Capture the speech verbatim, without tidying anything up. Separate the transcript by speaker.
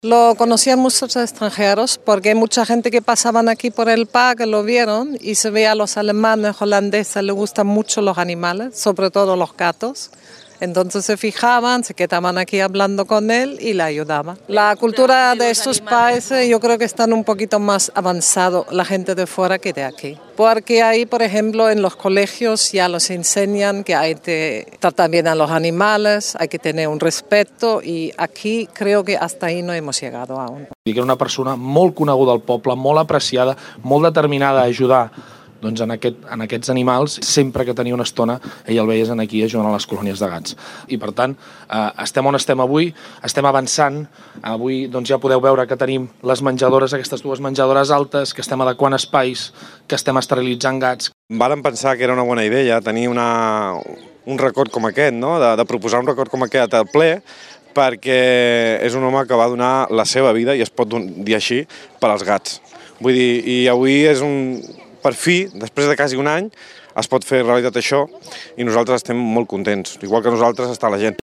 Speaker 1: Lo conocían muchos extranjeros porque hay mucha gente que pasaban aquí por el parque, lo vieron y se ve a los alemanes, holandeses, les gustan mucho los animales, sobre todo los gatos. Entonces se fijaban, se quedaban aquí hablando con él y le ayudaban. La cultura de estos países yo creo que están un poquito más avanzado la gente de fuera que de aquí. Porque ahí, por ejemplo, en los colegios ya los enseñan que hay que tratar bien a los animales, hay que tener un respeto y aquí creo que hasta ahí no hemos llegado aún.
Speaker 2: Que era una persona molt coneguda al poble, molt apreciada, molt determinada a ajudar doncs en, aquest, en aquests animals. Sempre que tenia una estona, ell el veies aquí ajudant a les colònies de gats. I per tant, eh, estem on estem avui, estem avançant. Avui doncs, ja podeu veure que tenim les menjadores, aquestes dues menjadores altes, que estem adequant espais, que estem esterilitzant gats.
Speaker 3: Vàrem pensar que era una bona idea tenir una, un record com aquest, no? de, de proposar un record com aquest al ple, perquè és un home que va donar la seva vida, i es pot dir així, per als gats. Vull dir, i avui és un... Per fi, després de quasi un any, es pot fer realitat això i nosaltres estem molt contents. Igual que nosaltres està la gent.